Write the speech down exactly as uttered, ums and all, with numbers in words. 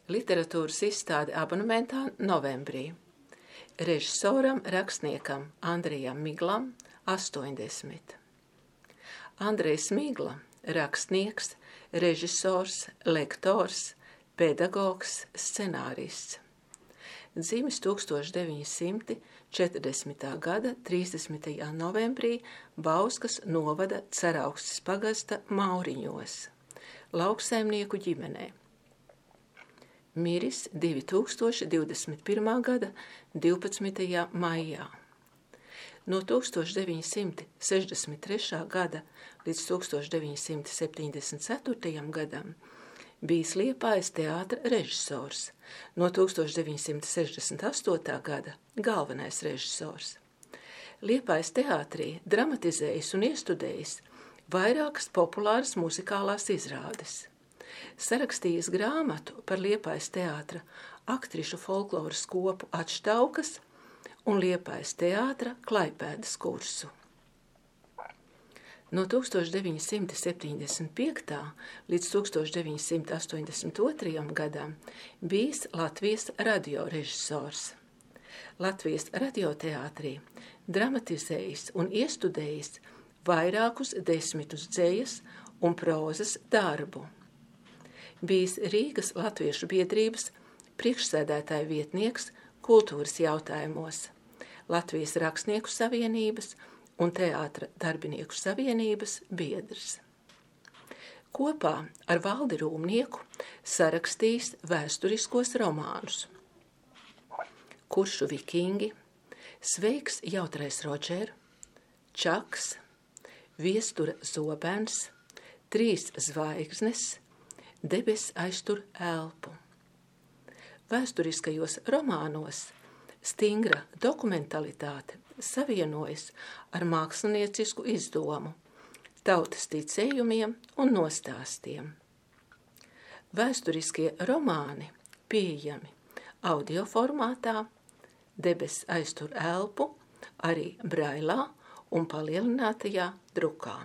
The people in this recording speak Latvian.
Literatūras izstāde abonementā novembrī. Režisoram, rakstniekam Andrejam Miglam astoņdesmit. Andrejs Migla, rakstnieks, režisors, lektors, pedagogs, scenārists. Dzimis tūkstoš deviņi simti četrdesmitā gada trīsdesmitajā novembrī Bauskas novada Ceraukstes pagasta Mauriņos, lauksaimnieku ģimenē. Miris divi tūkstoši divdesmit pirmā gada divpadsmitajā maijā. No tūkstoš deviņi simti sešdesmit trešā gada līdz tūkstoš deviņi simti septiņdesmit ceturtajam gadam bijis Liepājas teātra režisors, no tūkstoš deviņi simti sešdesmit astotā gada galvenais režisors. Liepājas teātrī dramatizējis un iestudējis vairākas populāras muzikālās izrādes. Sarakstījis grāmatu par Liepājas teātra aktrišu folkloras kopu Atštaukas un Liepājas teātra Klaipēdas kursu. No tūkstoš deviņi simti septiņdesmit piektajā līdz tūkstoš deviņi simti astoņdesmit otrajam gadam bijis Latvijas radiorežisors. Latvijas radioteātrī dramatizējis un iestudējis vairākus desmitus dzejas un prozas darbu. Bijis Rīgas Latviešu biedrības priekšsēdētāja vietnieks kultūras jautājumos, Latvijas rakstnieku savienības un teātra darbinieku savienības biedrs. Kopā ar Valdi Rūmnieku sarakstījis vēsturiskos romānus Kuršu vikingi, Sveiks jautrais Rodžer, Čaks, Viestura zobens, Trīs zvaigznes, Debes aiztur elpu. Vēsturiskajos romānos stingra dokumentalitāte savienojas ar māksliniecisku izdomu, tautas ticējumiem un nostāstiem. Vēsturiskie romāni pieejami audio formātā, Debes aiztur elpu, arī brailā un palielinātajā drukā.